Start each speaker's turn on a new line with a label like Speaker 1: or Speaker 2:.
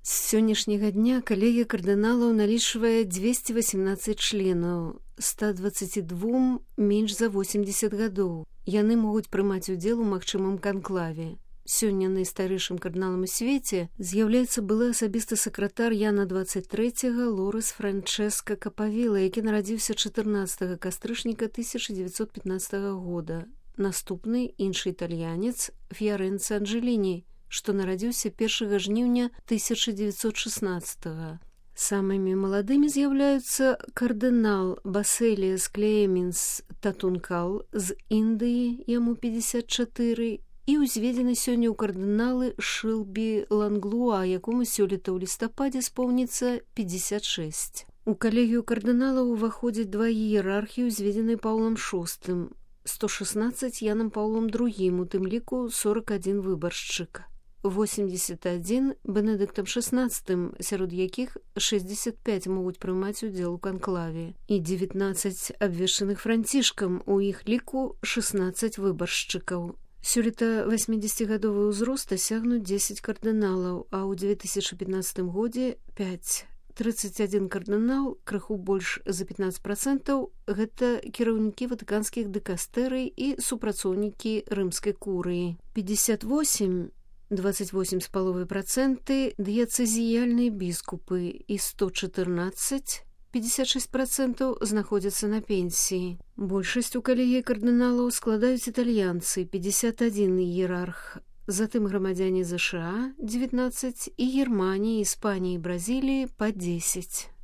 Speaker 1: З сённяшняга дня калегія кардыналаў налічвае 218 членаў, 122 менш за 80 гадоў. Яны могуць прымаць удзел у магчымым канклаве. Сёння найстарэйшым кардыналам у свеце з'яўляецца былы асабісты сакратар Яна 23 Лорес Франческа Капавіла, які нарадзіўся 14 кастрычніка 1915 года. Наступны іншы італьянец Фіярэнца Анджеліні, што нарадзіўся 1 жніўня 1916. Самымі маладымі з'яўляюцца кардынал Басэліас Клеменс Татункал з Індыі, яму 54, і ўзведзены сёння ў кардыналы Шылбі Ланглуа, якому сёлета ў лістападзе споўніцца 56. У калегію кардыналаў уваходзяць два іерархі, узведзеныя Паўлам VI, 116 Янам Паўлом II, у тым ліку 41 выбаршчык. 81 Бенедыктам XVI, сярод якіх 65 могуць прымаць удзел у канклаве, і 19 абвешчаных францішкам, у іх ліку 16 выбаршчыкаў. Сёлета 80-гадовы ўзрост дасягнуць 10 кардыналаў, а ў 2015 годзе 5. 31 кардынал, крыху больш за 15%, гэта кіраўнікі ватыканскіх дыкастэрый і супрацоўнікі рымскай курыі. 58 28,5% дыяцэзіяльныя біскупы і 114 56% знаходзяцца на пенсіі. Большасць у калегіі кардыналаў складаюць італьянцы 51 іерарх, затым грамадзяне ЗША 19 і Германіі, Іспаніі і Бразіліі па 10.